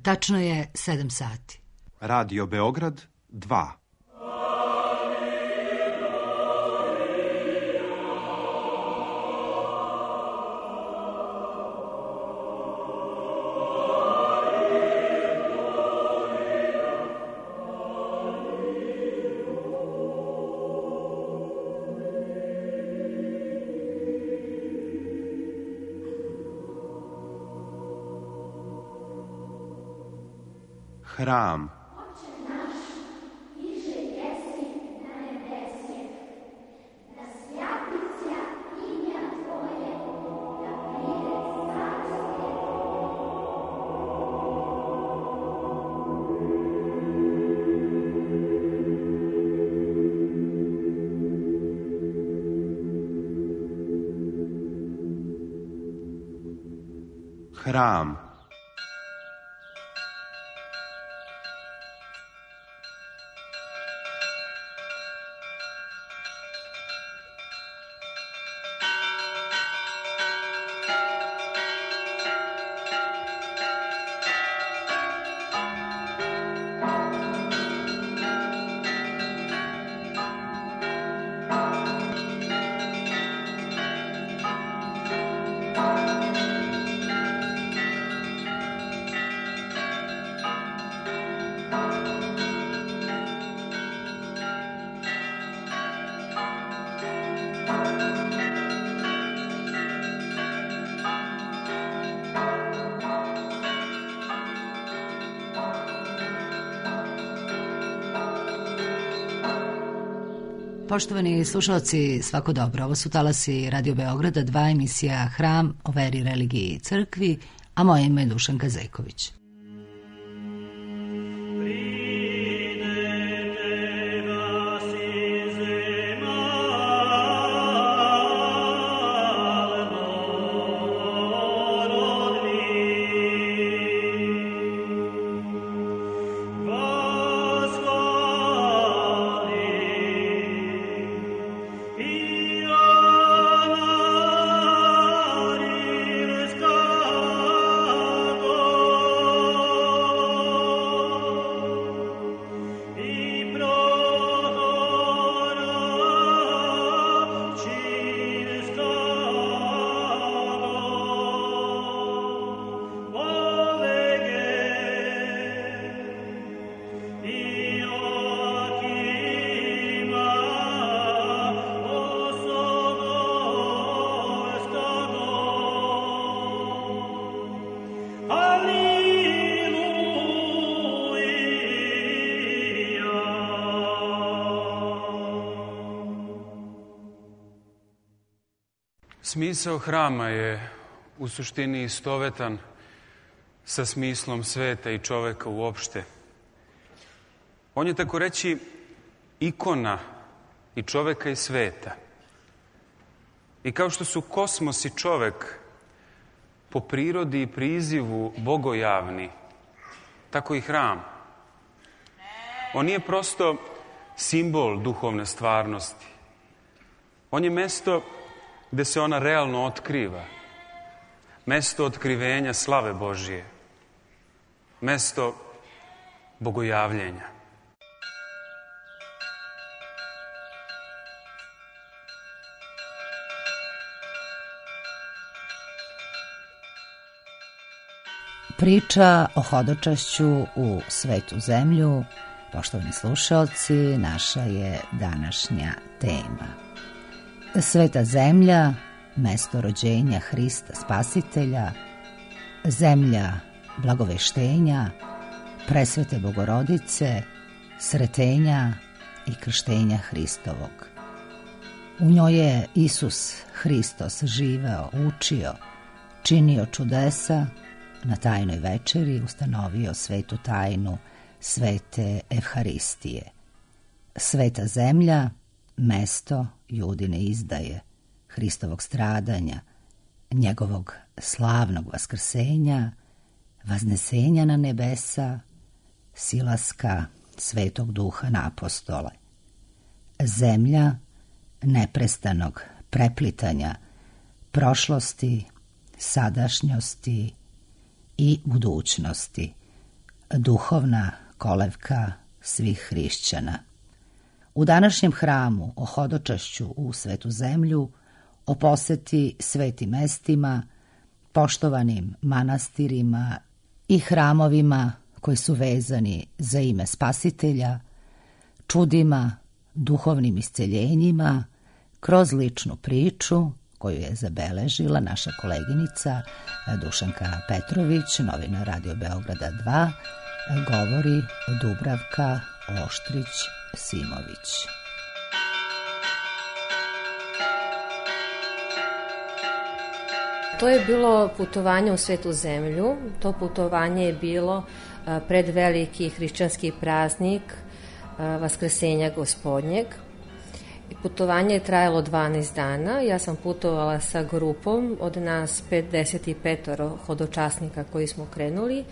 Tačno je 7 sati. Radio Beograd 2. Hram. Hram. Poštovani slušalci, svako dobro. Ovo su talasi Radio Beograda 2, emisija Hram o veri, religiji i crkvi, a moje ime je Dušanka Zejković. Smisao hrama je u suštini istovetan sa smislom sveta i čoveka uopšte. On je, tako reći, ikona i čoveka i sveta. I kao što su kosmos i čovek po prirodi i prizivu bogojavni, tako i hram. On nije prosto simbol duhovne stvarnosti. On je mesto gde se ona realno otkriva. Mesto otkrivenja slave Božije. Mesto bogojavljenja. Priča o hodočašću u svetu zemlju, poštovani slušaoci, naša je današnja tema. Sveta zemlja, mesto rođenja Hrista Spasitelja, zemlja blagoveštenja, presvete Bogorodice, sretenja i krštenja Hristovog. U njoj je Isus Hristos živeo, učio, činio čudesa, na tajnoj večeri ustanovio svetu tajnu svete Evharistije. Sveta zemlja, mesto Judine izdaje, Hristovog stradanja, njegovog slavnog vaskrsenja, vaznesenja na nebesa, silaska Svetog Duha na apostole. Zemlja neprestanog preplitanja prošlosti, sadašnjosti i budućnosti, duhovna kolevka svih hrišćana. U današnjem hramu o hodočašću u svetu zemlju, o poseti svetim mestima, poštovanim manastirima i hramovima koji su vezani za ime Spasitelja, čudima, duhovnim isceljenjima, kroz ličnu priču koju je zabeležila naša koleginica Dušanka Petrović, novinar Radio Beograda 2, govori Dubravka Oštrić-Simović. To je bilo putovanje u svetu zemlju. To putovanje je bilo pred veliki hrišćanski praznik Vaskrsenja Gospodnjeg. Putovanje je trajalo 12 dana. Ja sam putovala sa grupom od nas 55 hodočasnika koji smo krenuli.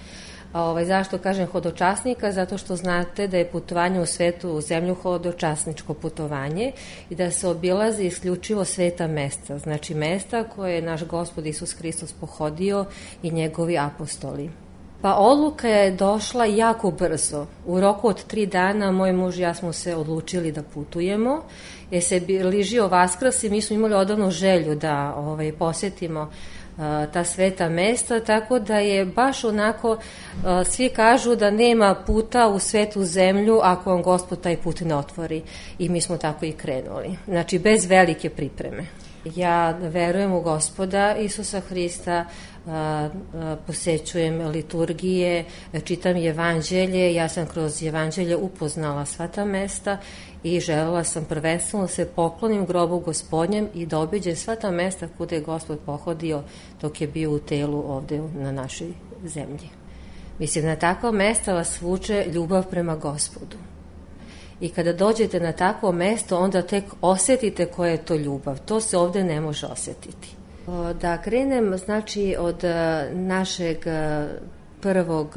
Zašto kažem hodočasnika? Zato što znate da je putovanje u svetu zemlju hodočasničko putovanje i da se obilazi isključivo sveta mesta, znači mesta koje je naš Gospod Isus Hristos pohodio i njegovi apostoli. Pa odluka je došla jako brzo. U roku od 3 dana moj muž i ja smo se odlučili da putujemo, jer se bližio Vaskrs i mi smo imali odavno želju da posetimo ta sveta mesta, tako da je baš onako, svi kažu da nema puta u svetu zemlju ako vam Gospod taj put ne otvori, i mi smo tako i krenuli, znači bez velike pripreme. Ja verujem u Gospoda Isusa Hrista, posećujem liturgije, čitam evanđelje, ja sam kroz evanđelje upoznala sva ta mesta i želela sam prvenstveno se poklonim grobu Gospodnjem i da obiđem sva ta mesta kuda je Gospod pohodio dok je bio u telu ovde na našoj zemlji. Mislim, na takva mesta vas vuče ljubav prema Gospodu. I kada dođete na takvo mesto, onda tek osetite koja je to ljubav. To se ovde ne može osetiti. Da krenem, znači, od našeg prvog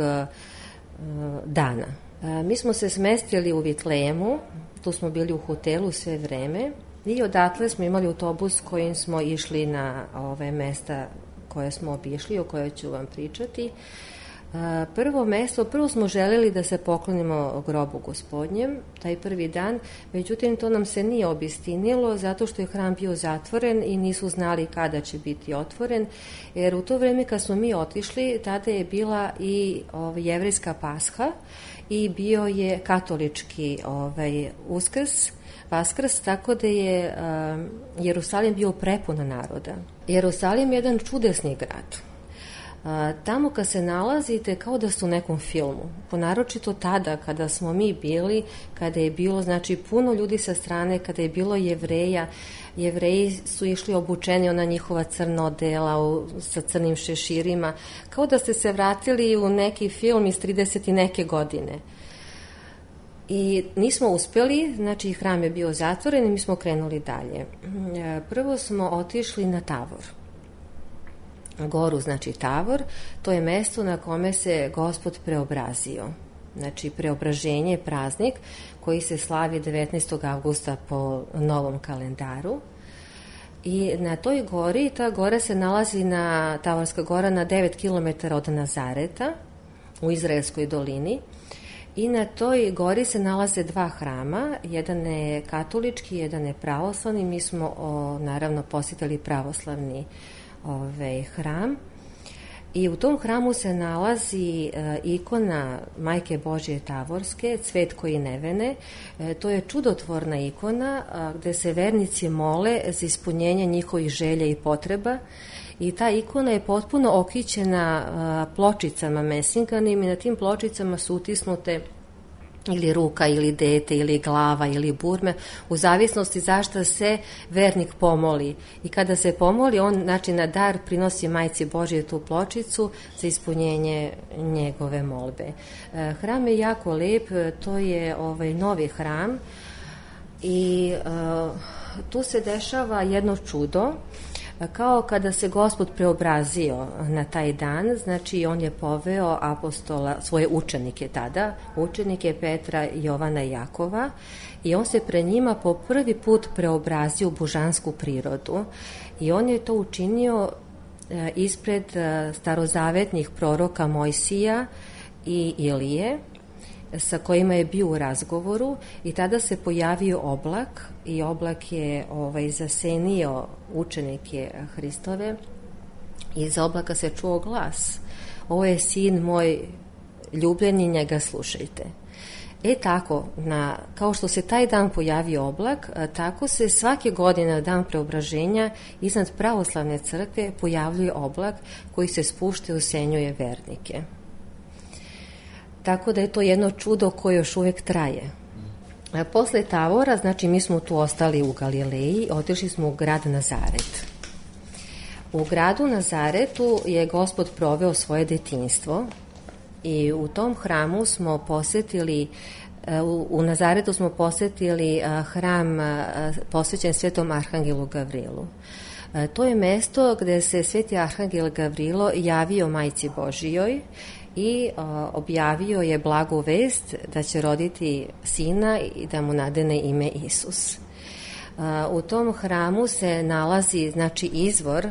dana. Mi smo se smestili u Vitlejemu, tu smo bili u hotelu sve vreme i odatle smo imali autobus kojim smo išli na ove mesta koje smo obišli, o kojoj ću vam pričati. Prvo smo želeli da se poklonimo grobu Gospodnjem taj prvi dan, međutim to nam se nije obistinilo zato što je hram bio zatvoren i nisu znali kada će biti otvoren, jer u to vreme kad smo mi otišli, tada je bila i jevrejska Pasha i bio je katolički Vaskrs, tako da je Jerusalim bio prepun naroda. Jerusalim je jedan čudesni grad. Tamo kad se nalazite kao da ste u nekom filmu, ponaročito tada kada smo mi bili, kada je bilo znači puno ljudi sa strane, kada je bilo Jevreja, Jevreji su išli obučeni na njihova crna odela sa crnim šeširima, kao da ste se vratili u neki film iz 30 i neke godine. I nismo uspeli, znači hram je bio zatvoren i mi smo krenuli dalje. Prvo smo otišli na Tavor. Goru, znači Tavor, to je mesto na kome se Gospod preobrazio. Znači preobraženje je praznik koji se slavi 19. avgusta po novom kalendaru. I na toj gori, ta gora se nalazi Tavorska gora na 9 km od Nazareta u Izraelskoj dolini. I na toj gori se nalaze 2 hrama, jedan je katolički, jedan je pravoslavni. Mi smo naravno posjetili pravoslavni hram i u tom hramu se nalazi ikona Majke Božje Tavorske, cvet koji nevene. To je čudotvorna ikona gde se vernici mole za ispunjenje njihovih želja i potreba i ta ikona je potpuno okićena pločicama mesinkanim i na tim pločicama su utisnute ili ruka, ili dete, ili glava, ili burme, u zavisnosti zašto se vernik pomoli. I kada se pomoli, on znači na dar prinosi Majci Božje tu pločicu za ispunjenje njegove molbe. Hram je jako lep, to je novi hram i tu se dešava jedno čudo. Kao kada se Gospod preobrazio na taj dan, znači on je poveo apostola, svoje učenike tada, učenike Petra, Jovana i Jakova, i on se pre njima po prvi put preobrazio u božansku prirodu i on je to učinio ispred starozavetnih proroka Mojsija i Ilije, sa kojima je bio u razgovoru, i tada se pojavio oblak i oblak je zasenio učenike Hristove. Iz oblaka se čuo glas: ovo je sin moj ljubljeni, njega slušajte. Tako, kao što se taj dan pojavio oblak, tako se svake godine na dan preobraženja iznad pravoslavne crkve pojavljuje oblak koji se spušta i usenjuje vernike. Tako da je to jedno čudo koje još uvijek traje. Posle Tavora, znači mi smo tu ostali u Galileji, otišli smo u grad Nazaret. U gradu Nazaretu je Gospod proveo svoje detinjstvo i u tom hramu smo posetili, u Nazaretu smo posetili hram posvećen Svetom Arhangelu Gavrilu. To je mesto gde se Sveti Arhangel Gavrilo javio Majci Božijoj i objavio je blagu vest da će roditi sina i da mu nadene ime Isus. U tom hramu se nalazi, znači, izvor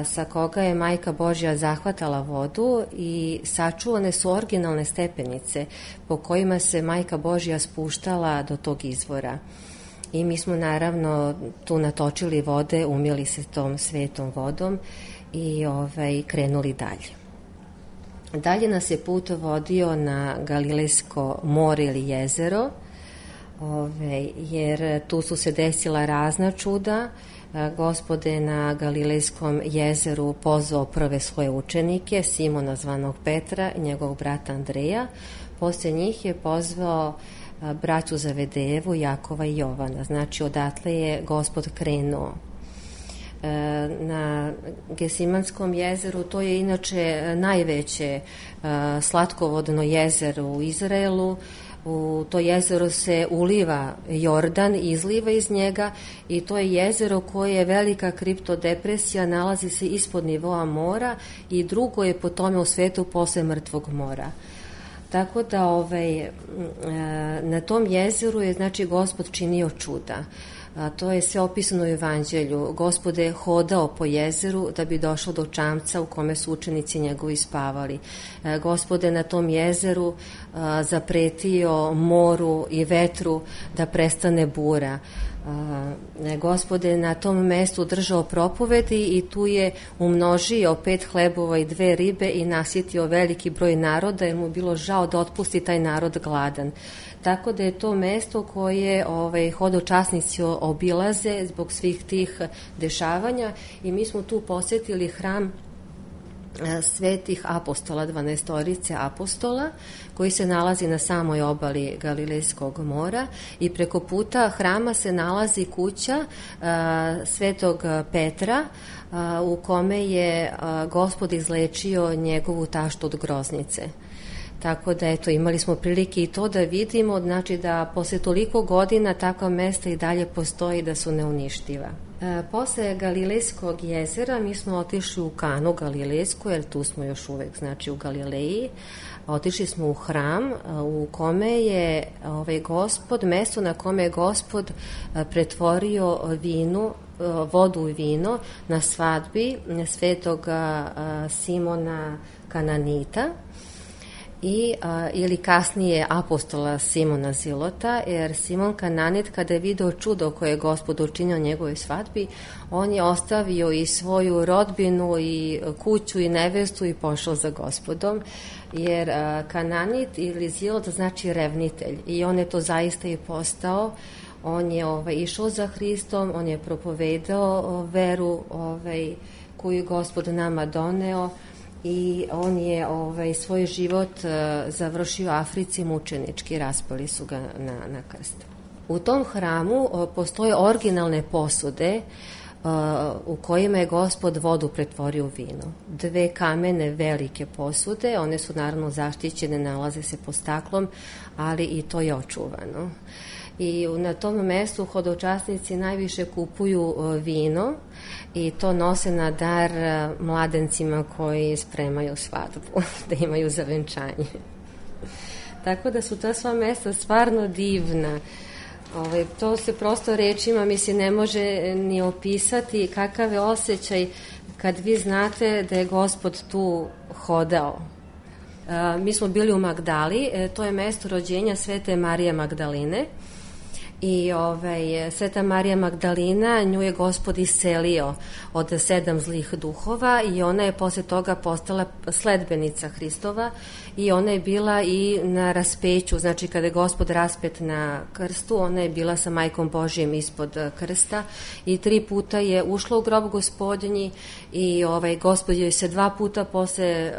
sa koga je Majka Božja zahvatala vodu i sačuvane su originalne stepenice po kojima se Majka Božja spuštala do tog izvora. I mi smo naravno tu natočili vode, umili se tom svetom vodom i krenuli dalje. Dalje nas je put vodio na Galilejsko more ili jezero, jer tu su se desila razna čuda. Gospod je na Galilejskom jezeru pozvao prve svoje učenike, Simona zvanog Petra i njegovog brata Andreja. Posle njih je pozvao braću Zavedejevu, Jakova i Jovana. Znači, odatle je Gospod krenuo. Na Gesimanskom jezeru, to je inače najveće slatkovodno jezero u Izraelu. U to jezero se uliva Jordan, izliva iz njega, i to je jezero koje je velika kriptodepresija, nalazi se ispod nivoa mora i drugo je po tome u svetu posle Mrtvog mora. Tako da na tom jezeru je, znači, Gospod činio čuda. To je sve opisano u Evanđelju. Gospod je hodao po jezeru da bi došao do čamca u kome su učenici njegovi spavali. Gospod je na tom jezeru zapretio moru i vetru da prestane bura. Gospod je na tom mestu držao propovedi i tu je umnožio 5 hlebova i 2 ribe i nasitio veliki broj naroda, jer mu bilo žao da otpusti taj narod gladan. Tako da je to mesto koje hodočasnici obilaze zbog svih tih dešavanja, i mi smo tu posetili hram svetih apostola, 12 apostola, koji se nalazi na samoj obali Galilejskog mora, i preko puta hrama se nalazi kuća svetog Petra, u kome je Gospod izlečio njegovu taštu od groznice. Tako da, eto, imali smo prilike i to da vidimo, znači da posle toliko godina takva mesta i dalje postoji, da su neuništiva. Posle Galilejskog jezera mi smo otišli u Kanu Galilejsku, jer tu smo još uvek, znači, u Galileji. Otišli smo u hram u kome je Gospod, mesto na kome je Gospod pretvorio vodu u vino na svadbi svetog Simona Kananita, ili kasnije apostola Simona Zilota, jer Simon Kananit, kada je video čudo koje je Gospod učinio njegovoj svadbi, on je ostavio i svoju rodbinu i kuću i nevestu i pošao za Gospodom, jer Kananit ili Zilot znači revnitelj, i on je to zaista i postao. On je išao za Hristom, on je propovedao veru koju je Gospod nama doneo, i on je svoj život završio u Africi mučenički, raspali su ga na krst. U tom hramu postoje originalne posude u kojima je Gospod vodu pretvorio u vino. 2 kamene velike posude, one su naravno zaštićene, nalaze se pod staklom, ali i to je očuvano. I na tom mestu hodočasnici najviše kupuju vino i to nose na dar mladencima koji spremaju svadbu, da imaju za venčanje. Tako da su ta sva mesta stvarno divna. To se prosto rečima, mislim, ne može ni opisati kakav je osjećaj kad vi znate da je Gospod tu hodao. Mi smo bili u Magdali, to je mesto rođenja Svete Marije Magdaline. I Sveta Marija Magdalina, nju je Gospod iscelio od 7 zlih duhova i ona je posle toga postala sledbenica Hristova i ona je bila i na raspeću, znači kada je Gospod raspet na krstu, ona je bila sa Majkom Božijom ispod krsta i 3 puta je ušla u grob Gospodnji i Gospod joj se 2 puta posle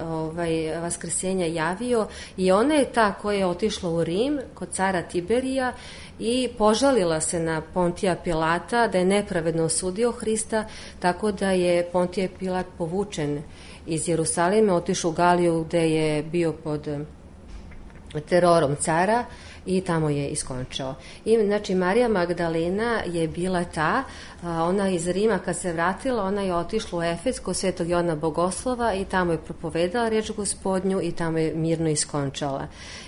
vaskrsenja javio i ona je ta koja je otišla u Rim kod cara Tiberija i požalila se na Pontija Pilata da je nepravedno osudio Hrista, tako da je Pontije Pilat povučen iz Jerusalima, otišao u Galiju gde je bio pod terorom cara i tamo je iskončao. I znači Marija Magdalena je bila ta, ona iz Rima kad se vratila, ona je otišla u Efes kod Svetog Jovana Bogoslova i tamo je propovedala riječ Gospodnju i tamo je mirno iskončala.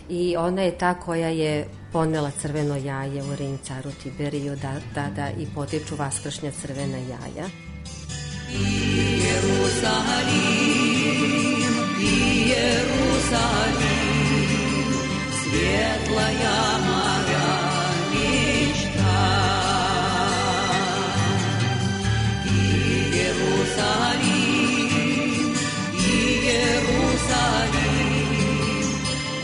I ona je ta koja je ponela crveno jaje u Rim caru Tiberiju, da i potiču vaskršnja crvena jaja. Иерусалим, светлая моя мечта. Иерусалим, Иерусалим,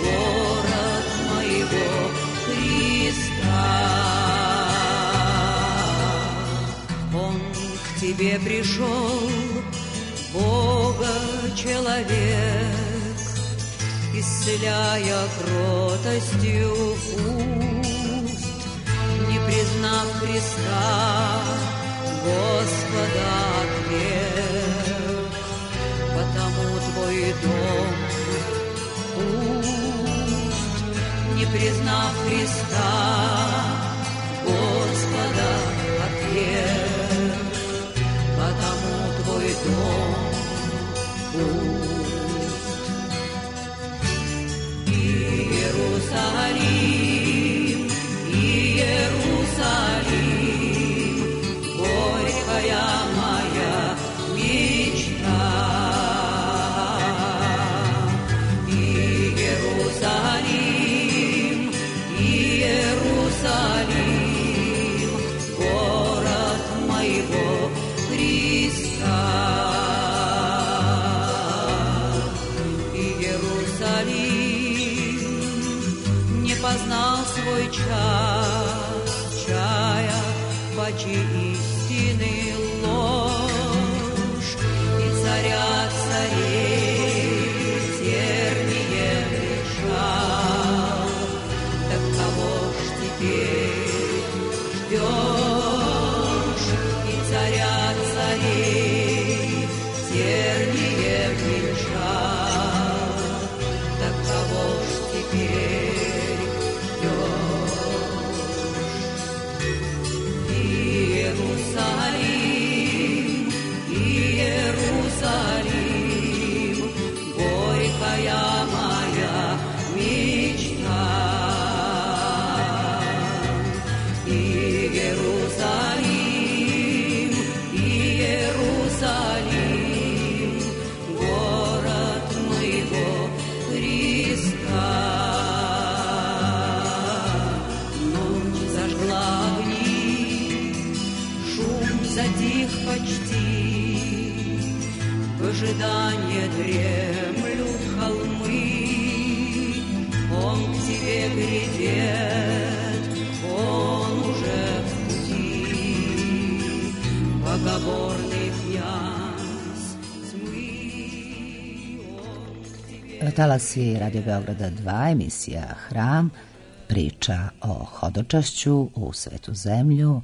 город моего Христа. Он к тебе пришел, Бога человек, исцеляя кротостью уст, не признав Христа, Господа грех, потому твой дом пуст, не признав Христа, Господа грех, потому твой дом пуст. Иерусалим, Иерусалим, горькая моя мечта. Иерусалим, Иерусалим, город моего Христа. Иерусалим не познал свой час, чая почти истины ложь, и царя царей терние решал. Так кого ж теперь ждешь? И царя царей терние решал. Так кого ж теперь Иерусалим, Иерусалим, горькая моя мечта. Иерусалим, Иерусалим, город моего Христа. Ночь зажгла огни, шум затих почти, в ожидании дремлют холмы. Он к тебе грядет, он уже в пути, богоборный князь тьмы. Talasi Radio Beograda 2, emisija Hram, priča o hodočašću u svetu zemlju,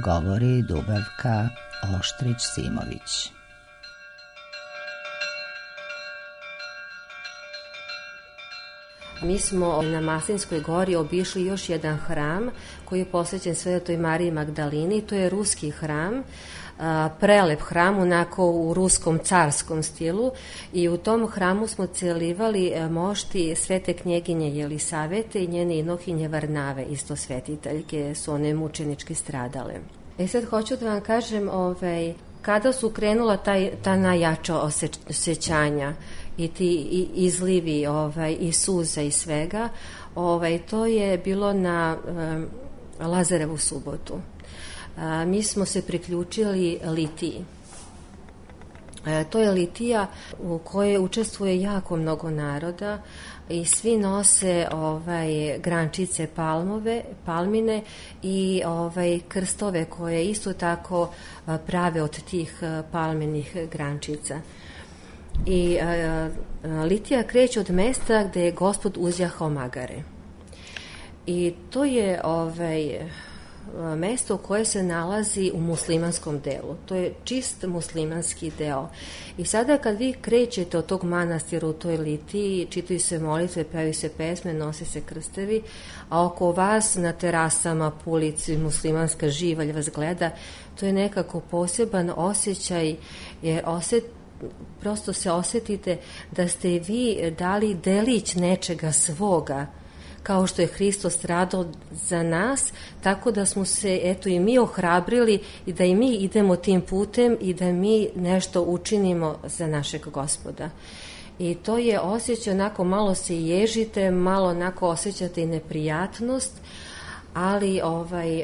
govori Dubravka Oštrić-Simović. Mi smo na Maslinskoj gori obišli još jedan hram koji je posvećen Svetoj Mariji Magdalini. To je ruski hram, prelep hram, onako u ruskom carskom stilu, i u tom hramu smo celivali mošti Svete knjeginje Jelisavete i njene inohinje Varnave, isto svetiteljke, su one mučenički stradale. Sad hoću da vam kažem kada su krenula ta najjača osjećanja. i ti izlivi i suza i svega, to je bilo na Lazarevu subotu. Mi smo se priključili litiji. To je litija u kojoj učestvuje jako mnogo naroda i svi nose grančice palmine i krstove koje isto tako prave od tih palminih grančica. I litija kreće od mesta gde je Gospod uzjahao magare. I to je mesto koje se nalazi u muslimanskom delu. To je čist muslimanski deo. I sada kad vi krećete od tog manastira u toj litiji, čitaju se molitve, pevaju se pesme, nose se krstevi, a oko vas na terasama, po ulici, muslimanska živalj vas gleda, to je nekako poseban osjećaj, jer prosto se osjetite da ste vi dali delić nečega svoga, kao što je Hristos stradao za nas, tako da smo se i mi ohrabrili i da i mi idemo tim putem i da mi nešto učinimo za našeg Gospoda. I to je osjećaj, onako malo se ježite, malo onako osjećate i neprijatnost, ali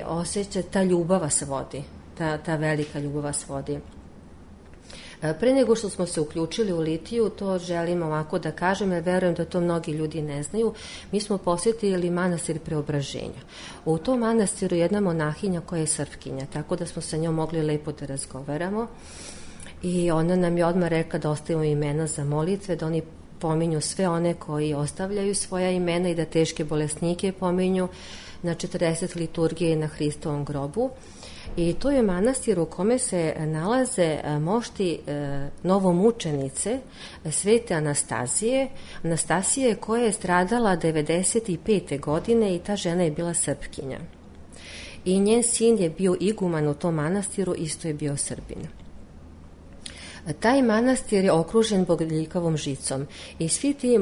osjećate, ta ljubav vas vodi, ta velika ljubav vas vodi. Pre nego što smo se uključili u litiju, to želim ovako da kažem, jer verujem da to mnogi ljudi ne znaju, mi smo posjetili manastir Preobraženja. U tom manastiru jedna monahinja koja je Srpkinja, tako da smo sa njom mogli lepo da razgovaramo i ona nam je odmah rekla da ostavimo imena za molitve, da oni pominju sve one koji ostavljaju svoja imena i da teške bolesnike pominju na 40 liturgije na Hristovom grobu. I to je manastir u kome se nalaze mošti novomučenice svete Anastasije koja je stradala 95. godine i ta žena je bila Srpkinja. I njen sin je bio iguman u tom manastiru, isto je bio Srbin. Taj manastir je okružen bodljikavom žicom i svi ti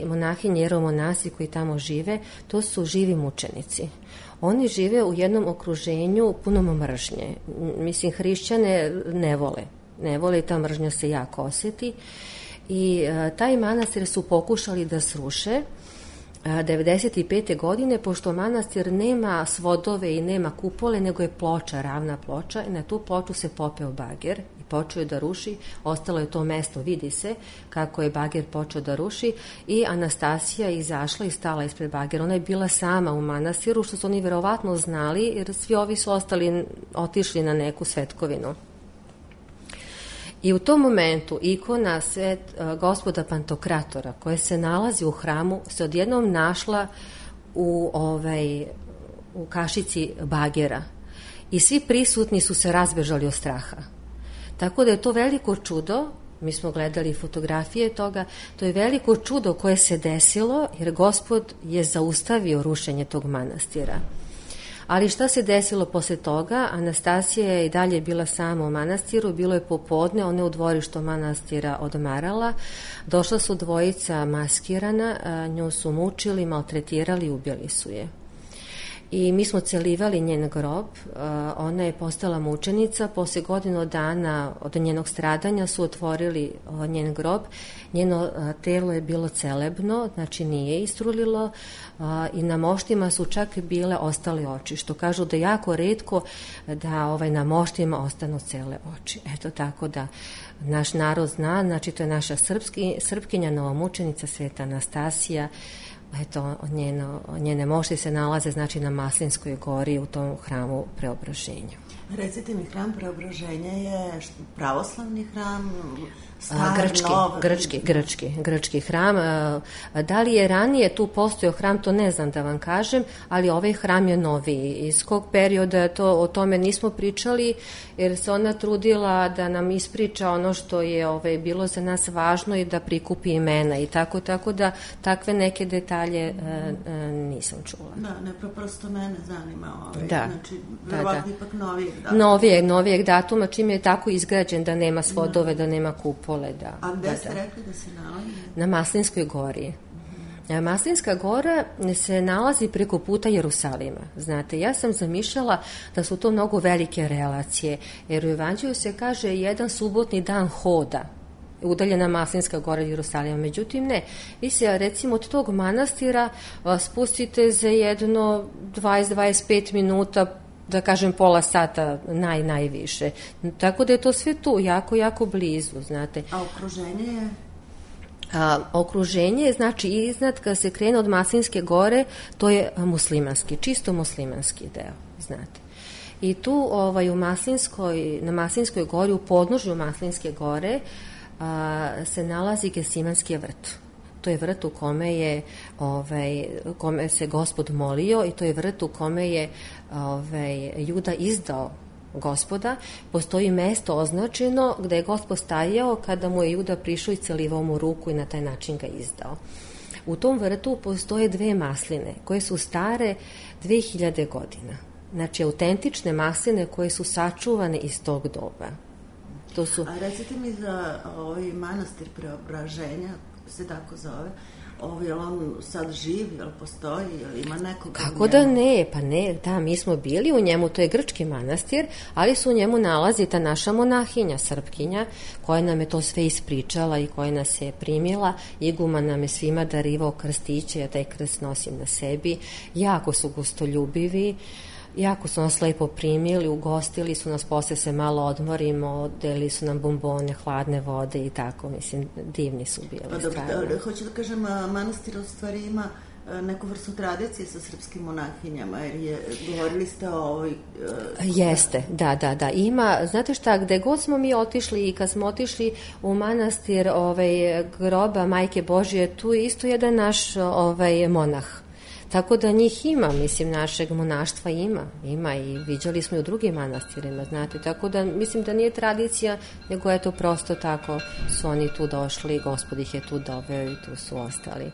monahinje, jeromonasi koji tamo žive, to su živi mučenici. Oni žive u jednom okruženju punom mržnje. Mislim, hrišćane ne vole i ta mržnja se jako osjeti. I taj manastir su pokušali da sruše 95. godine, pošto manastir nema svodove i nema kupole, nego je ploča, ravna ploča, i na tu ploču se popeo bager i počeo da ruši. Ostalo je to mesto, vidi se kako je bager počeo da ruši i Anastasija je izašla i stala ispred bagera. Ona je bila sama u manastiru, što su oni verovatno znali, jer svi ovi su otišli na neku svetkovinu. I u tom momentu ikona Gospoda Pantokratora koja se nalazi u hramu se odjednom našla u kašici bagera i svi prisutni su se razbežali od straha. Tako da je to veliko čudo, mi smo gledali fotografije toga, to je veliko čudo koje se desilo jer Gospod je zaustavio rušenje tog manastira. Ali šta se desilo posle toga? Anastasija je i dalje bila sama u manastiru, bilo je popodne, ona je u dvorištu manastira odmarala, došla su dvojica maskirana, nju su mučili, maltretirali i ubili su je. I mi smo celivali njen grob, ona je postala mučenica, posle godinu dana od njenog stradanja su otvorili njen grob, njeno telo je bilo celebno, znači nije istrulilo i na moštima su čak bile ostale oči, što kažu da je jako retko da na moštima ostanu cele oči. Eto tako da naš narod zna, znači to je naša Srpkinja, novomučenica sveta Anastasija. Eto, njene mošti se nalaze znači na Maslinskoj gori u tom hramu Preobraženja. Recite mi, hram Preobraženja je pravoslavni hram, grčki hram. Da li je ranije tu postojao hram, to ne znam da vam kažem, ali ovaj hram je noviji. Iz kog perioda o tome nismo pričali, jer se ona trudila da nam ispriča ono što je bilo za nas važno i da prikupi imena i tako da takve neke detalje nisam čula. Da, ne, prosto mene zanima znači, verovatno ipak novijeg datuma. Novijeg datuma, čim je tako izgrađen da nema svodove, da nema kupole. A gde ste rekli da se nalazi? Na Maslinskoj gori. Maslinska gora se nalazi preko puta Jerusalima. Znate, ja sam zamišljala da su to mnogo velike relacije, jer u Evanđelju se kaže jedan subotni dan hoda udaljena Maslinska gora od Jerusalima. Međutim, ne. Vi se, recimo, od tog manastira spustite za jedno 20-25 minuta, da kažem pola sata najviše. Tako da je to sve tu, jako, jako blizu, znate. A okruženje je? Okruženje je, znači, iznad, kada se krene od Maslinske gore, to je muslimanski, čisto muslimanski deo, znate. I tu na Maslinskoj gori, u podnožju Maslinske gore, se nalazi Gesimanski vrt. To je vrt u kome se Gospod molio i to je vrt u kome je Juda izdao Gospoda. Postoji mesto označeno gde je Gospod stajao kada mu je Juda prišao i celivao mu ruku i na taj način ga izdao. U tom vrtu postoje 2 masline koje su stare 2000 godina. Znači, autentične masline koje su sačuvane iz tog doba. To su... A recite mi za ovaj manastir Preobraženja, se tako zove, je on sad živ, jel postoji, jel ima nekog... Kako da ne, pa ne, da, mi smo bili u njemu, to je grčki manastir, ali su u njemu nalazi ta naša monahinja, Srpkinja, koja nam je to sve ispričala i koja nas je primila. Iguman nam je svima darivao krstiće, ja taj krst nosim na sebi, jako su gostoljubivi, jako su nas lepo primili, ugostili su nas, posle se malo odmorimo, delili su nam bombone, hladne vode i tako, mislim, divni su bili. Pa dobro, hoću da kažem, manastir u stvari ima neku vrstu tradicije sa srpskim monahinjama, jer govorili ste o ovoj... Jeste, da, ima, znate šta, gde god smo mi otišli i kad smo otišli u manastir groba Majke Božije, tu je isto jedan naš monah. Tako da njih ima, mislim, našeg monaštva ima i viđali smo i u drugim manastirima, znate, tako da mislim da nije tradicija, nego je to prosto tako, su oni tu došli, Gospod ih je tu doveo i tu su ostali.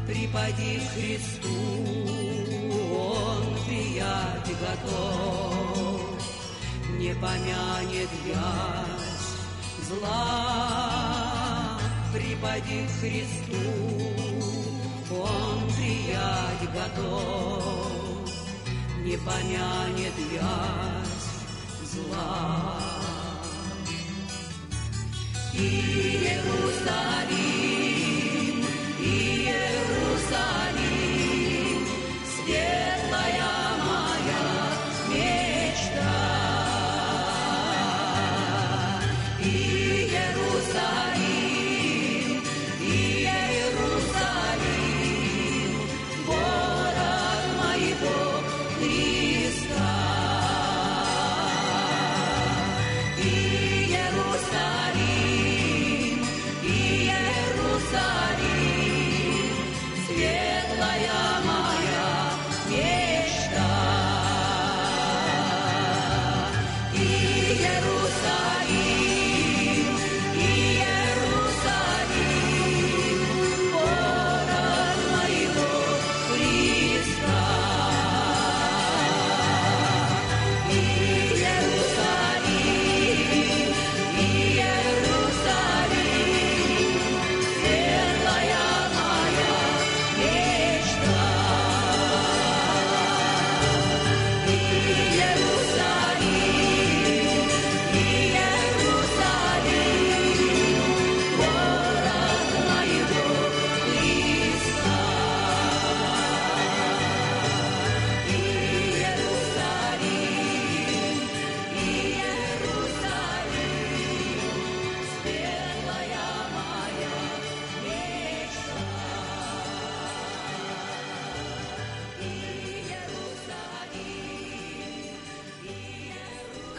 Припади к Христу, Он приять готов, не помянет вязь зла. Припади к Христу, Он приять готов, не помянет вязь зла. Иерусалим, Иерусалим, светлая моя мечта. Иерусалим, Иерусалим, город моего Христа. Иерусалим, Иерусалим, светлая моя мечта. Иерусалим, Иерусалим, город моего Христа. Иерусалим, Иерусалим, светлая моя мечта. Иерусалим, Иерусалим, город моего Христа. Иерусалим, Иерусалим, светлая моя мечта.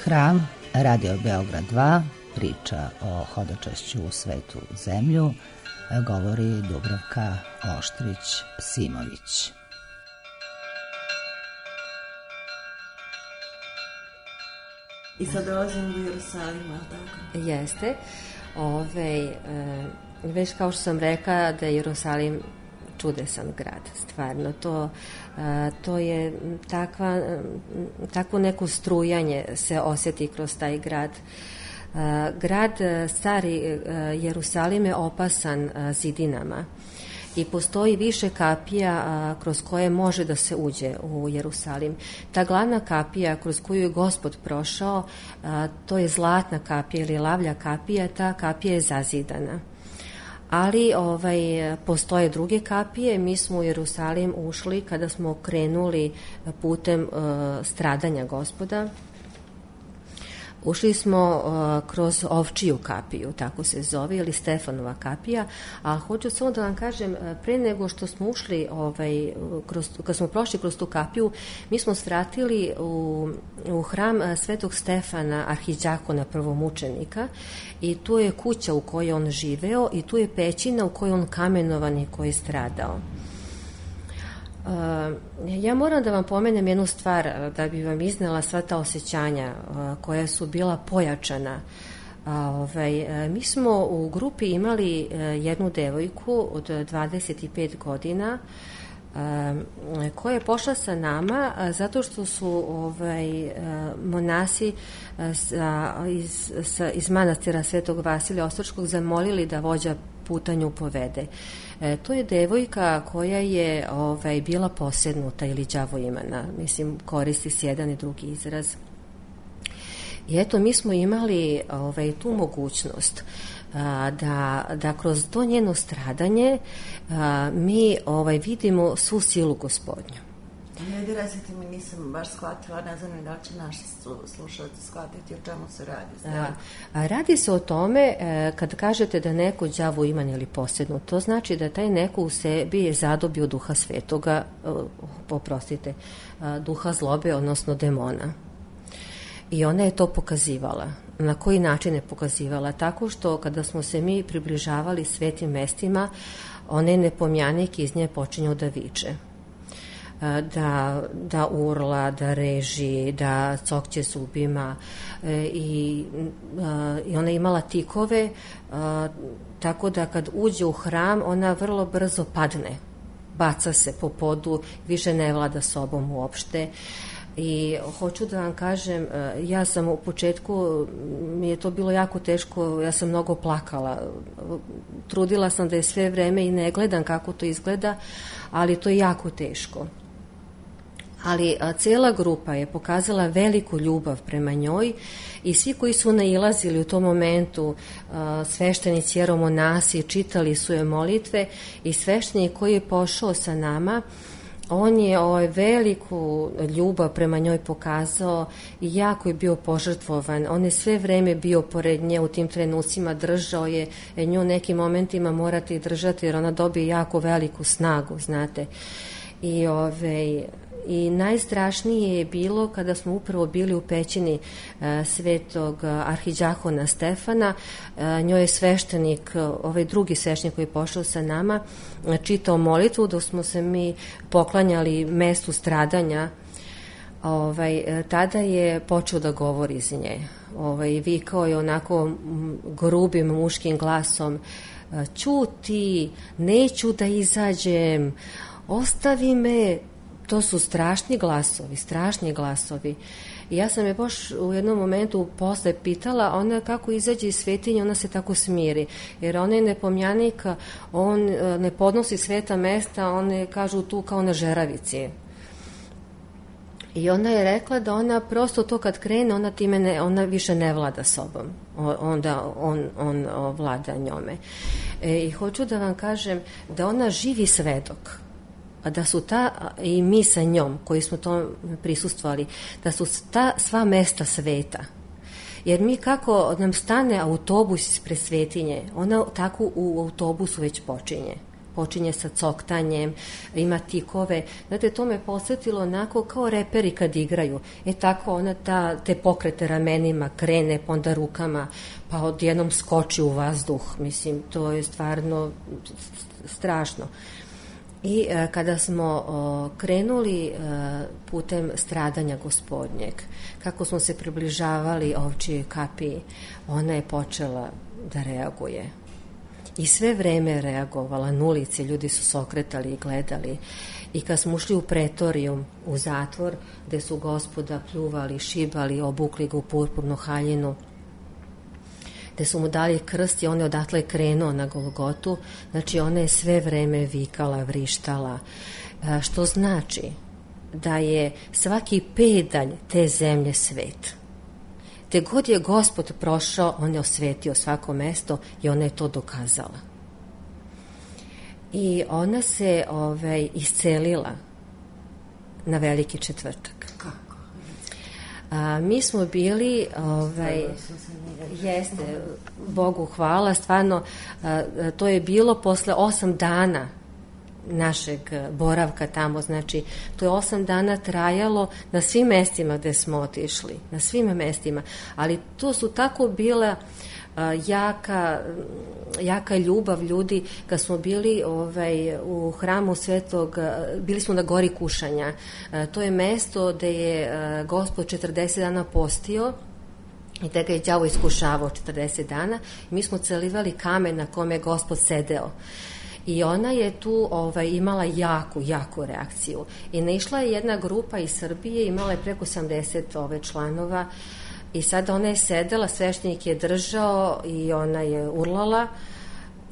Hram, Radio Beograd 2, priča o hodočašću u svetu zemlju, govori Dubravka Oštrić-Simović. I sad dolazimo do Jerusalima, tako? Jeste. Već kao što sam rekla da je Jerusalim čudesan grad, stvarno. To je takvo neko strujanje se osjeti kroz taj grad. Grad stari Jerusalim je opasan zidinama i postoji više kapija kroz koje može da se uđe u Jerusalim. Ta glavna kapija kroz koju je Gospod prošao, to je zlatna kapija ili lavlja kapija, ta kapija je zazidana. Ali postoje druge kapije. Mi smo u Jerusalim ušli kada smo krenuli putem stradanja Gospoda. Ušli smo kroz Ovčiju kapiju, tako se zove, ili Stefanova kapija, a hoću samo da vam kažem, pre nego što smo ušli, kad smo prošli kroz tu kapiju, mi smo svratili u hram Svetog Stefana, arhidjakona prvomučenika, i tu je kuća u kojoj on živeo i tu je pećina u kojoj on kamenovan i koji je stradao. Ja moram da vam pomenem jednu stvar da bi vam iznela sva ta osjećanja koja su bila pojačana. Mi smo u grupi imali jednu devojku od 25 godina koja je pošla sa nama zato što su monasi iz manastira Svetog Vasilija Ostroškog zamolili da vođa putanju povede. To je devojka koja je bila posednuta ili đavoimana, mislim, koristi se jedan i drugi izraz. I eto, mi smo imali tu mogućnost da kroz to njeno stradanje mi vidimo svu silu Gospodnju. Ajde, recite mi, nisam baš shvatila, ne znam da li će naši slušalci shvatiti o čemu se radi. Radi se o tome, kad kažete da neko đavo iman ili posednut, to znači da taj neko u sebi je zadobio duha svetoga, duha zlobe, odnosno demona. I ona je to pokazivala. Na koji način je pokazivala? Tako što kada smo se mi približavali svetim mestima, onaj nepomjanik iz nje počinjao da viče. Da urla, da reži, da cokće zubima i ona je imala tikove, tako da kad uđe u hram ona vrlo brzo padne, baca se po podu, više ne vlada sobom uopšte. I hoću da vam kažem, ja sam u početku, mi je to bilo jako teško, ja sam mnogo plakala, trudila sam da je sve vreme i ne gledam kako to izgleda, ali to je jako teško. Ali cela grupa je pokazala veliku ljubav prema njoj i svi koji su nailazili u tom momentu, sveštenici, jeromonasi, čitali su je molitve i sveštenik koji je pošao sa nama, on je veliku ljubav prema njoj pokazao i jako je bio požrtvovan. On je sve vreme bio pored nje u tim trenucima, držao je, nju nekim momentima morate držati jer ona dobije jako veliku snagu, znate. I najstrašnije je bilo kada smo upravo bili u pećini svetog arhidjakona Stefana. Njoj je sveštenik, drugi sveštenik koji je pošao sa nama, čitao molitvu dok smo se mi poklanjali mestu stradanja. Tada je počeo da govori iz nje. Vikao je onako grubim muškim glasom: "Ćuti, neću da izađem, ostavi me." To su strašni glasovi. I ja sam je baš u jednom momentu posle pitala, ona kako izađe iz svetinje, ona se tako smiri. Jer ona je nepomjanik, on ne podnosi sveta mesta, one kažu tu kao na žeravici. I ona je rekla da ona prosto to kad krene, ona više ne vlada sobom. Onda on vlada njome. I hoću da vam kažem da ona živi svedok. Da su i mi sa njom koji smo to prisustvovali, da su ta sva mesta sveta. Jer mi kako nam stane autobus ispred svetinje, ona tako u autobusu već počinje. počinje sa coktanjem, ima tikove. Znate, to me podsjetilo onako kao reperi kad igraju. Tako ona te pokrete ramenima krene, pa onda rukama, pa odjednom skoči u vazduh. Mislim, to je stvarno strašno. I kada smo krenuli putem stradanja Gospodnjeg, kako smo se približavali ovčijoj kapiji, ona je počela da reaguje. I sve vreme je reagovala na ulici, ljudi su se okretali i gledali. I kad smo ušli u pretorijum, u zatvor, gde su Gospoda pljuvali, šibali, obukli ga u purpurnu haljinu, gde su mu dali krst i on je odatle krenuo na Golgotu, znači ona je sve vreme vikala, vrištala, što znači da je svaki pedalj te zemlje svet. Te god je Gospod prošao, on je osvetio svako mesto i ona je to dokazala. I ona se iscelila na Veliki četvrtak. Kako? Mi smo bili, jeste, Bogu hvala, stvarno, to je bilo posle 8 dana našeg boravka tamo, znači to je 8 dana trajalo na svim mestima gde smo otišli, na svim mestima, ali to su tako bila jaka ljubav ljudi. Kad smo bili u hramu Svetog, bili smo na gori Kušanja, to je mesto gde je Gospod 40 dana postio i da ga je đavo iskušavao 40 dana. Mi smo celivali kamen na kome je Gospod sedeo. I ona je tu imala jaku reakciju. I naišla je jedna grupa iz Srbije, imala je preko 70 članova i sada ona je sedela, sveštenik je držao i ona je urlala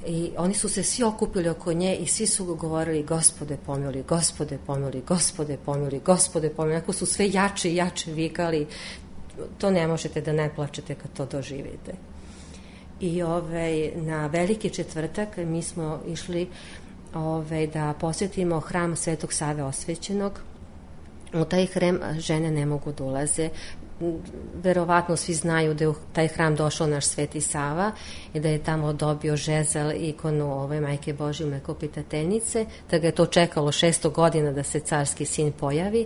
i oni su se svi okupili oko nje i svi su govorili Gospode pomili, Gospode pomili, Gospode pomili, Gospode pomili. Ako su sve jače i jače vikali, to ne možete da ne plačete kad to doživite. I na Veliki četvrtak mi smo išli da posjetimo hram Svetog Save Osvećenog. U taj hram žene ne mogu da ulaze. Verovatno svi znaju da je u taj hram došao naš Sveti Sava i da je tamo dobio žezal, ikonu Majke Božje Mlekopitateljice, da ga je to čekalo 600 godina da se carski sin pojavi.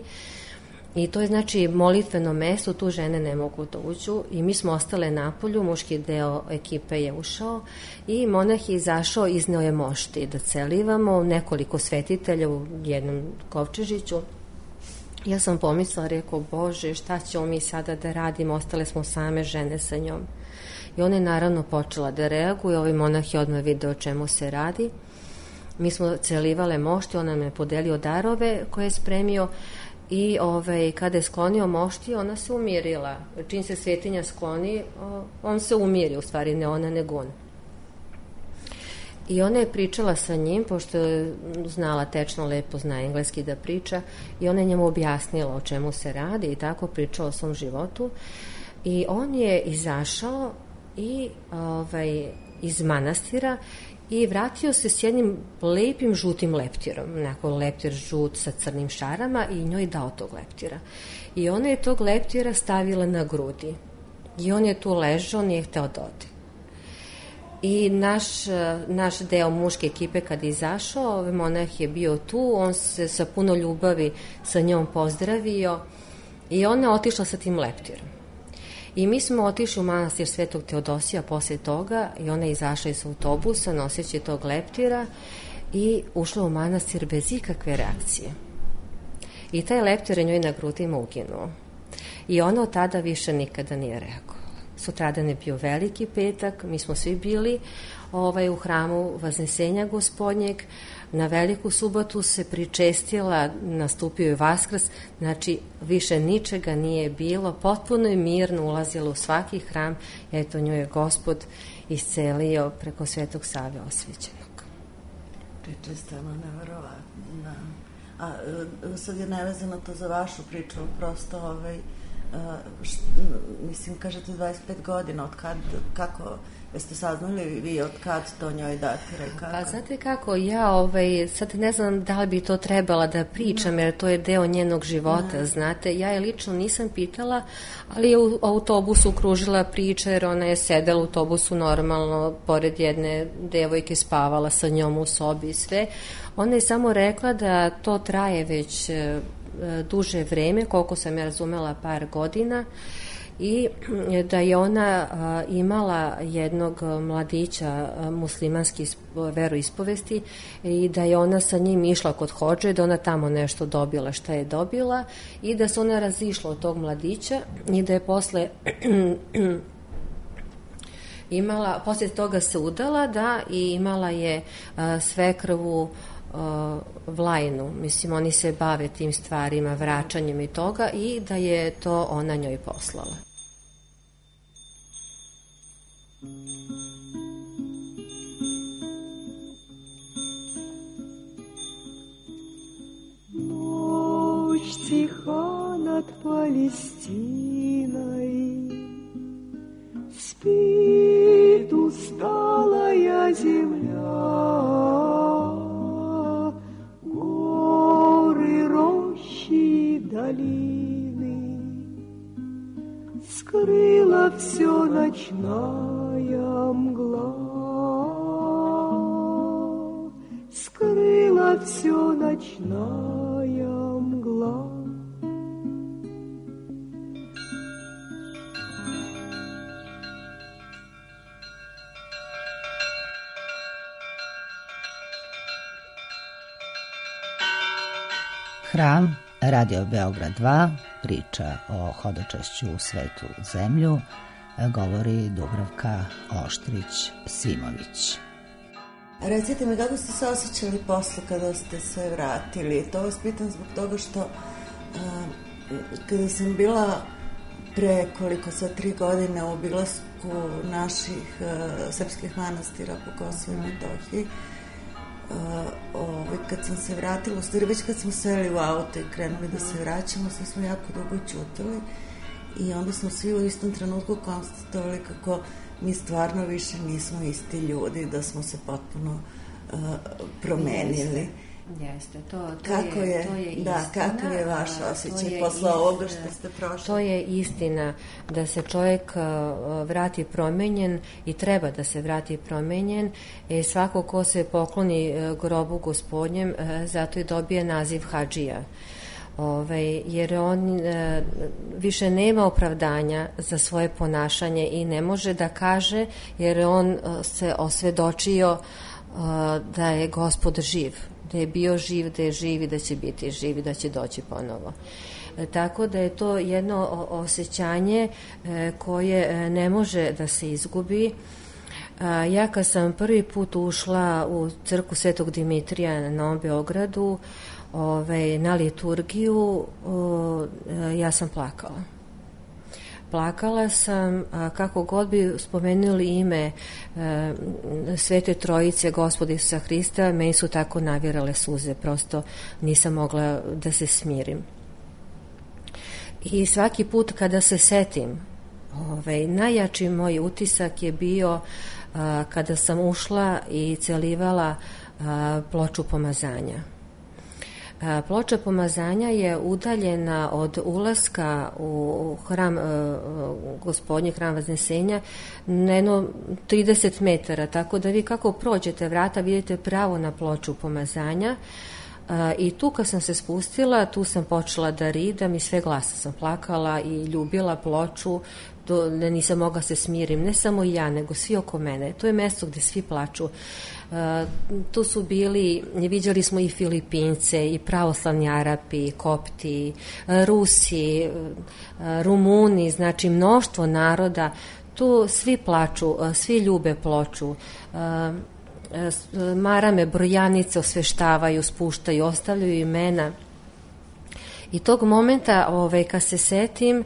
I to je znači molitveno mesto, tu žene ne mogu da uđu i mi smo ostale napolju, muški deo ekipe je ušao i monah je izašao, izneo je mošti da celivamo, nekoliko svetitelja u jednom kovčežiću. Ja sam pomislila, rekao, Bože, šta ćemo mi sada da radimo, ostale smo same žene sa njom. I ona je naravno počela da reaguje, monah je odmah video o čemu se radi. Mi smo celivale mošti, ona me podelio darove koje je spremio. I kada je sklonio mošti, ona se umirila. Čim se svetinja skloni, on se umiri, u stvari ne ona nego on. I ona je pričala sa njim, pošto je znala tečno, lepo zna engleski da priča, i ona je njemu objasnila o čemu se radi i tako pričala o svom životu. I on je izašao i iz manastira i vratio se s jednim lepim žutim leptirom, onako leptir žut sa crnim šarama, i njoj dao tog leptira. I ona je tog leptira stavila na grudi. I on je tu ležao, nije hteo da ode. I naš deo muške ekipe kad je izašao, monah je bio tu, on se sa puno ljubavi sa njom pozdravio i ona je otišla sa tim leptirom. I mi smo otišli u manastir Svetog Teodosija posle toga i ona je izašla iz autobusa noseći tog leptira i ušla u manastir bez ikakve reakcije. I taj leptir je njoj na grudima uginuo. I ona od tada više nikada nije reagovala. Sutradan je bio Veliki petak, mi smo svi bili u hramu Vaznesenja Gospodnjeg. Na Veliku subotu se pričestila, nastupio je Vaskrs, znači više ničega nije bilo, potpuno je mirno ulazila u svaki hram, eto nju je Gospod iscelio preko Svetog Save Osvećenog. Pričestano, neverovatno. A sad je nevezano to za vašu priču, prosto mislim, kažete 25 godina, jeste saznali vi od kad to njoj datira i kako? Pa znate kako, ja sad ne znam da li bi to trebala da pričam, jer to je deo njenog života, znate. Ja je lično nisam pitala, ali je u autobusu kružila priča, jer ona je sedela u autobusu normalno, pored jedne devojke, spavala sa njom u sobi i sve. Ona je samo rekla da to traje već duže vreme, koliko sam ja razumela, par godina, i da je ona imala jednog mladića muslimanski veroispovesti i da je ona sa njim išla kod hodže, da ona tamo nešto dobila šta je dobila i da se ona razišla od tog mladića i da je posle posle toga se udala, da, i imala je svekrvu Vlajnu, mislim, oni se bave tim stvarima, vraćanjem i toga, i da je to ona njoj poslala. Ночь тиха над Палестиной, спит усталая земля. Долины скрыла все ночная мгла, скрыла все ночная мгла. Hram, Radio Beograd 2, priča o hodočašću u svetu zemlju, govori Dubravka Oštrić-Simović. Recite mi, kako ste se osjećali posle kada ste se vratili? To vas pitam zbog toga što kada sam bila pre 3 godine u obilasku naših srpskih manastira po Kosovu i Metohiji, kad sam se vratila, već kad smo seli u auto i krenuli da se vraćamo, svi smo jako dugo ćutali i onda smo svi u istom trenutku konstatovali kako mi stvarno više nismo isti ljudi, da smo se potpuno promenili. Jeste, to je istina. Da, kakav je vaš osjećaj posle ovoga što ste prošli? To je istina, da se čovjek vrati promenjen i treba da se vrati promenjen. Svako ko se pokloni grobu Gospodnjem, zato i dobije naziv hadžija. Jer on više nema opravdanja za svoje ponašanje i ne može da kaže, jer on se osvedočio da je Gospod živ, da je bio živ, da je živ i da će biti živ i da će doći ponovo. Tako da je to jedno osjećanje koje ne može da se izgubi. Ja kad sam prvi put ušla u crkvu Svetog Dimitrija na Novom Beogradu, na liturgiju, ja sam plakala. Plakala sam, kako god bi spomenuli ime Svete Trojice, Gospoda Isusa Hrista, meni su tako navirale suze, prosto nisam mogla da se smirim. I svaki put kada se setim, najjači moj utisak je bio kada sam ušla i celivala ploču pomazanja. Ploča pomazanja je udaljena od ulaska u hram Gospodnji, hram Vaznesenja, na jedno 30 metara, tako da vi kako prođete vrata vidite pravo na ploču pomazanja. I tu kad sam se spustila, tu sam počela da ridam i sve glasa sam plakala i ljubila ploču, da nisam mogla se smirim, ne samo ja, nego svi oko mene. To je mesto gde svi plaču. Tu su bili, viđali smo i Filipince, i pravoslavni Arapi, Kopti, Rusi, Rumuni, znači mnoštvo naroda. Tu svi plaču, svi ljube ploču. Marame, brojanice osveštavaju, spuštaju, ostavljaju imena. I tog momenta, kad se setim,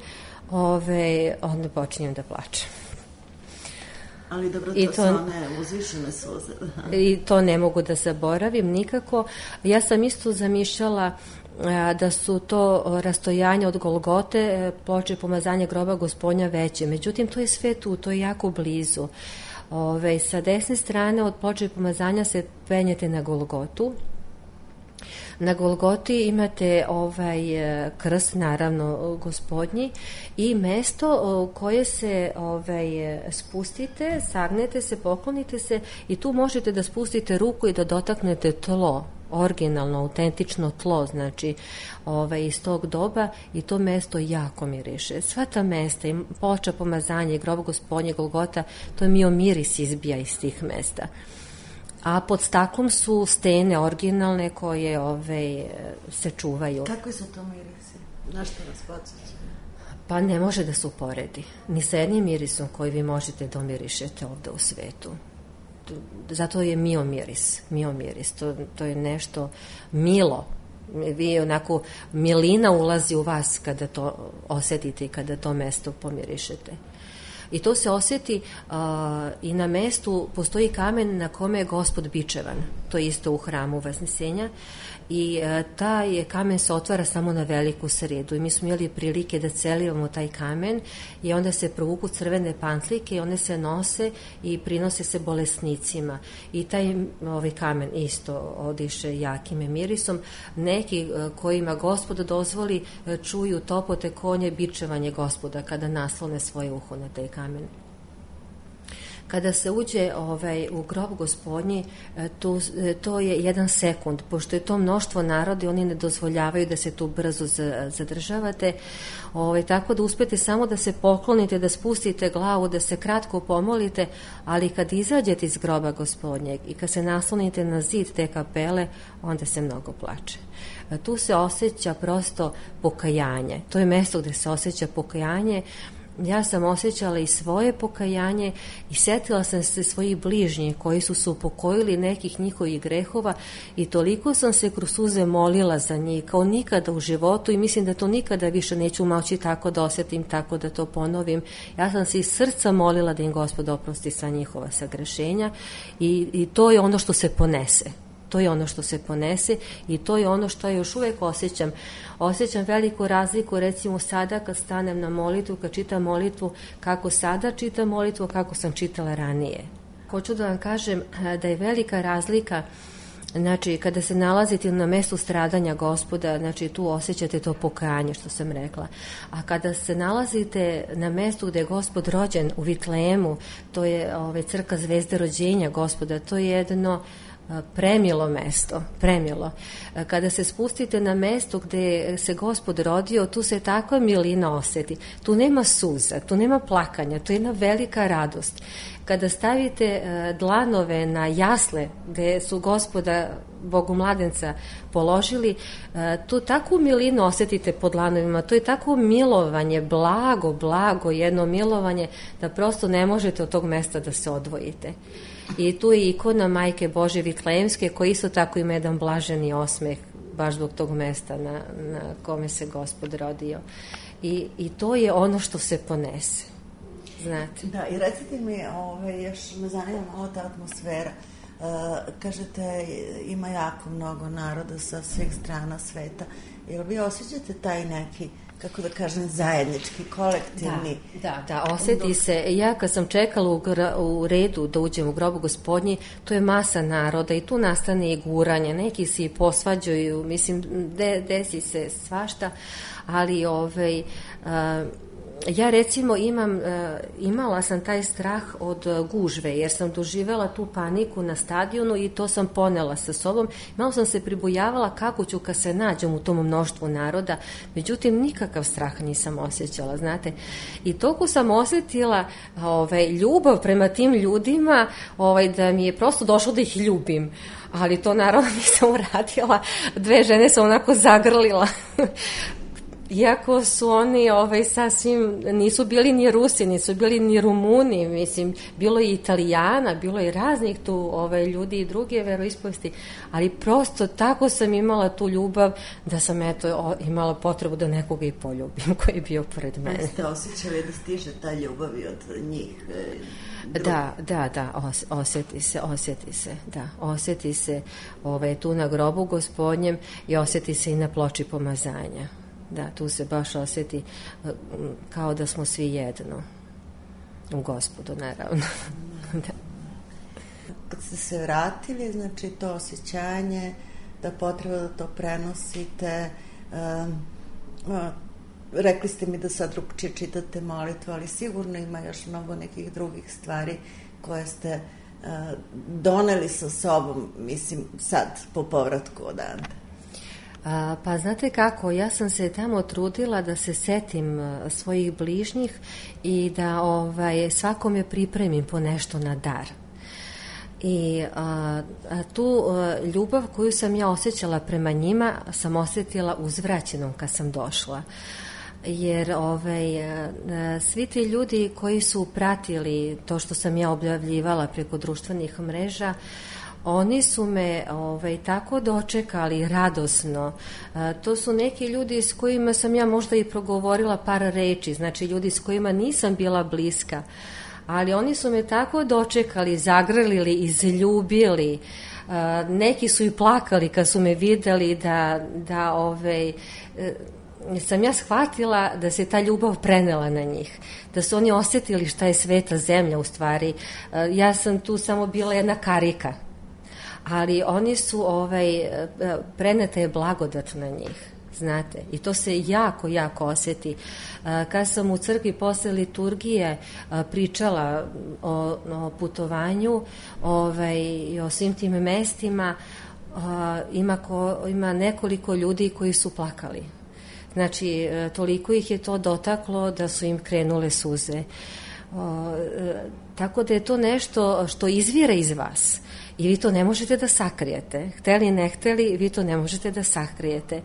onda počinjem da plačem. Ali dobro, I to su one uzvišene suze. I to ne mogu da zaboravim nikako. Ja sam isto zamišljala da su to rastojanje od Golgote, ploče pomazanja groba Gospodnja veće. Međutim, to je sve tu, to je jako blizu. Sa desne strane od ploče pomazanja se penjete na Golgotu. Na Golgoti imate krst, naravno, Gospodnji, i mesto u koje se spustite, sagnete se, poklonite se i tu možete da spustite ruku i da dotaknete tlo, originalno, autentično tlo, znači iz tog doba, i to mesto jako miriše. Sva ta mesta, i ploča pomazanja, i grob Gospodnje, Golgota, to je mio miris izbija iz tih mesta. A pod staklom su stene originalne koje se čuvaju. Kakvi su to mirisi? Na što vas podsjeća? Pa ne može da se uporedi. Ni sa jednim mirisom koji vi možete da omirišete ovde u svetu. Zato je mio miris. To je nešto milo. Vi onako, milina ulazi u vas kada to osetite i kada to mesto pomirišete. I to se osjeti i na mestu postoji kamen na kome je Gospod bičevan. To je isto u hramu Vasnesenja. I taj kamen se otvara samo na veliku sredu. I mi smo imali prilike da celivamo taj kamen i onda se provuku crvene pantlike i one se nose i prinose se bolesnicima. I taj kamen isto odiše jakim mirisom. Neki kojima Gospod dozvoli čuju topote konje, bičevanje Gospoda kada naslone svoje uho na taj kamen. Kada se uđe u grob Gospodnji, to je 1 sekund, pošto je to mnoštvo naroda i oni ne dozvoljavaju da se tu brzo zadržavate, tako da uspete samo da se poklonite, da spustite glavu, da se kratko pomolite, ali kad izađete iz groba Gospodnjeg i kad se naslonite na zid te kapele, onda se mnogo plače. Tu se osjeća prosto pokajanje. To je mesto gde se osjeća pokajanje. Ja sam osjećala i svoje pokajanje i setila sam se svojih bližnjih koji su se upokojili nekih njihovih grehova i toliko sam se kroz suze molila za njih kao nikada u životu i mislim da to nikada više neću moći tako da osjetim, tako da to ponovim. Ja sam se iz srca molila da im Gospod oprosti sva njihova sagrešenja i to je ono što se ponese. To je ono što se ponese i to je ono što još uvek osjećam. Osjećam veliku razliku, recimo sada kad stanem na molitvu, kad čitam molitvu, kako sada čitam molitvu, kako sam čitala ranije. Hoću da vam kažem da je velika razlika, znači kada se nalazite na mestu stradanja Gospoda, znači tu osjećate to pokajanje što sam rekla. A kada se nalazite na mestu gde je Gospod rođen u Vitlejemu, to je crkva zvezde rođenja Gospoda, to je jedno premilo mesto, premilo. Kada se spustite na mesto gde se Gospod rodio, tu se takva milina oseti. Tu nema suza, tu nema plakanja, to je jedna velika radost. Kada stavite dlanove na jasle gde su Gospoda Bogomladenca položili, tu takvu milinu osetite pod dlanovima, to je takvo milovanje, blago jedno milovanje da prosto ne možete od tog mesta da se odvojite. I tu je ikona Majke Božje Vitlejemske koja isto tako ima jedan blaženi osmeh baš zbog tog mesta na kome se Gospod rodio. I to je ono što se ponese. Znate. Da, i recite mi, još me zanima malo ta atmosfera. Kažete, ima jako mnogo naroda sa svih strana sveta. Jel vi osjećate taj neki, kako da kažem, zajednički, kolektivni? Da, osjeti se. Ja kad sam čekala u redu da uđem u grobu Gospodnji, to je masa naroda i tu nastane i guranje. Neki se i posvađaju, mislim, desi se svašta, ali ja recimo imala sam taj strah od gužve jer sam doživela tu paniku na stadionu i to sam ponela sa sobom. Malo sam se pribojavala kako ću kad se nađem u tom mnoštvu naroda, međutim nikakav strah nisam osjećala, znate. I toliko sam osjetila ljubav prema tim ljudima da mi je prosto došlo da ih ljubim. Ali to naravno nisam uradila. 2 žene sam onako zagrlila. Iako su oni sasvim, nisu bili ni Rusi, nisu bili ni Rumuni, mislim, bilo je Italijana, bilo je raznih tu ljudi i druge veroispovesti, ali prosto tako sam imala tu ljubav da sam imala potrebu da nekoga i poljubim koji je bio pored mene. Jeste osjećali da stiže ta ljubav i od njih? Da, osjeti se tu na grobu Gospodnjem i osjeti se i na ploči pomazanja. Da, tu se baš osjeti kao da smo svi jedno. U Gospodu, naravno. Da. Kad ste se vratili, znači to osjećanje, da potreba da to prenosite, rekli ste mi da sad drugčije čitate molitvu, ali sigurno ima još mnogo nekih drugih stvari koje ste doneli sa sobom, mislim, sad po povratku odande. Pa znate kako, ja sam se tamo trudila da se setim svojih bližnjih i da svakome pripremim po nešto na dar. I tu ljubav koju sam ja osjećala prema njima sam osjetila uzvraćenom kad sam došla. Jer svi ti ljudi koji su pratili to što sam ja objavljivala preko društvenih mreža, oni su me tako dočekali radosno. To su neki ljudi s kojima sam ja možda i progovorila par reči, znači ljudi s kojima nisam bila bliska, ali oni su me tako dočekali, zagrlili, izljubili. Neki su i plakali kad su me videli da sam ja shvatila da se ta ljubav prenela na njih, da su oni osjetili šta je sveta zemlja u stvari. Ja sam tu samo bila jedna karika, ali oni su preneta je blagodat na njih, znate, i to se jako, jako osjeti. Kad sam u crkvi posle liturgije pričala o putovanju i o svim tim mestima, ima nekoliko ljudi koji su plakali. Znači, toliko ih je to dotaklo da su im krenule suze. Tako da je to nešto što izvire iz vas i vi to ne možete da sakrijete. Hteli, ne hteli, vi to ne možete da sakrijete.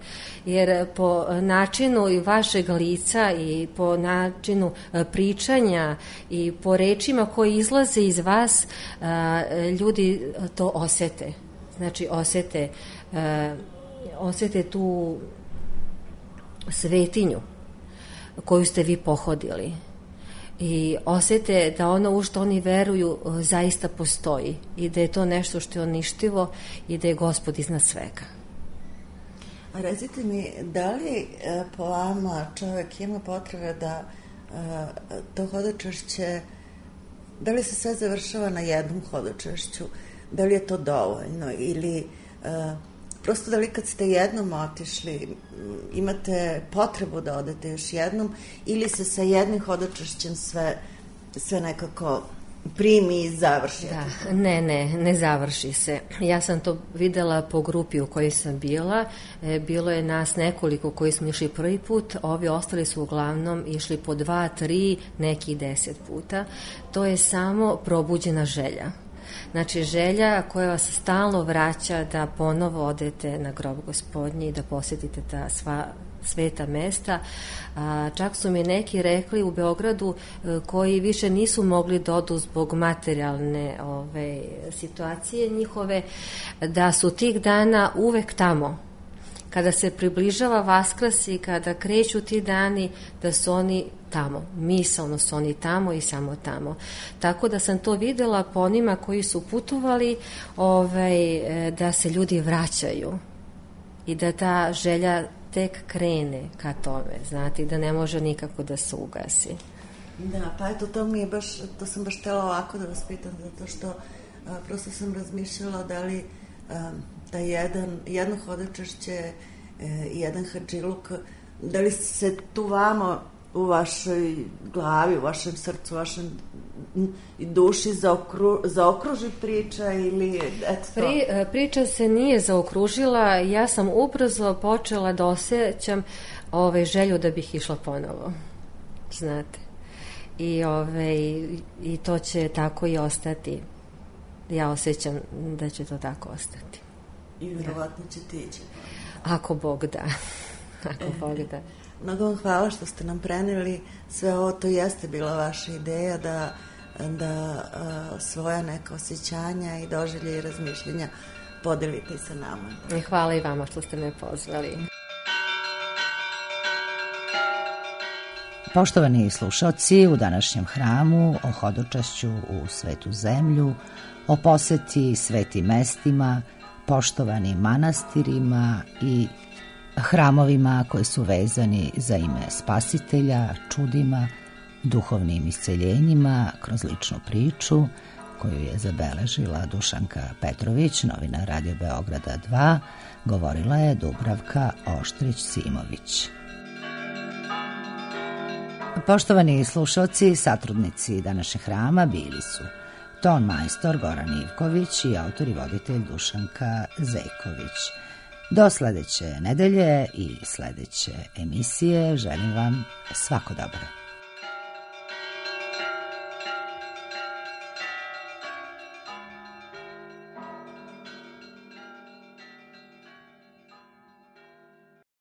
Jer po načinu i vašeg lica i po načinu pričanja i po rečima koje izlaze iz vas, ljudi to osete. Znači, osete tu svetinju koju ste vi pohodili i osjete da ono u što oni veruju zaista postoji i da je to nešto što je uništivo i da je Gospod iznad svega. A recite mi, da li po vama čovjek ima potrebe da to hodočašće, da li se sve završava na jednom hodočašću, da li je to dovoljno ili prosto da li kad ste jednom otišli imate potrebu da odete još jednom ili se sa jednim hodočašćem sve nekako primi i završi? Da, ne završi se. Ja sam to videla po grupi u kojoj sam bila. Bilo je nas nekoliko koji smo išli prvi put, ovi ostali su uglavnom išli po 2, 3, neki 10 puta. To je samo probuđena želja. Znači, želja koja vas stalno vraća da ponovo odete na grob Gospodnji i da posjetite ta sva sveta mesta. Čak su mi neki rekli u Beogradu koji više nisu mogli da odu zbog materijalne situacije njihove, da su tih dana uvek tamo. Kada se približava Vaskrs i kada kreću ti dani, da su oni tamo, misalno su oni tamo i samo tamo. Tako da sam to videla po onima koji su putovali, da se ljudi vraćaju i da ta želja tek krene ka tome, znate, da ne može nikako da se ugasi. Da, pa eto, to sam baš htjela ovako da vas pitam, zato što prosto sam razmišljala da li da jedno hodočašće i jedan hadžiluk, da li se tu vama u vašoj glavi, u vašem srcu, u vašem duši zaokruži priča ili eto to? Priča se nije zaokružila, ja sam ubrzo počela da osjećam želju da bih išla ponovo, znate. I to će tako i ostati. Ja osjećam da će to tako ostati. I vjerovatno ćete ići. Ako Bog da. Ako Bog da. Mnogo vam hvala što ste nam preneli sve ovo, to jeste bila vaša ideja da svoja neka osjećanja i doživlje i razmišljenja podelite sa nama. Hvala i vama što ste me pozvali. Poštovani slušaoci, u današnjem hramu o hodočašću u svetu zemlju, o poseti svetim mestima, poštovanim manastirima i hramovima koji su vezani za ime Spasitelja, čudima, duhovnim isceljenjima kroz ličnu priču koju je zabeležila Dušanka Petrović, novinar Radio Beograda 2, govorila je Dubravka Oštrić-Simović. Poštovani slušalci, satrudnici današnjeg hrama bili su ton majstor Goran Ivković i autor i voditelj Dušanka Zeković. Do sledeće nedelje i sledeće emisije želim vam svako dobro.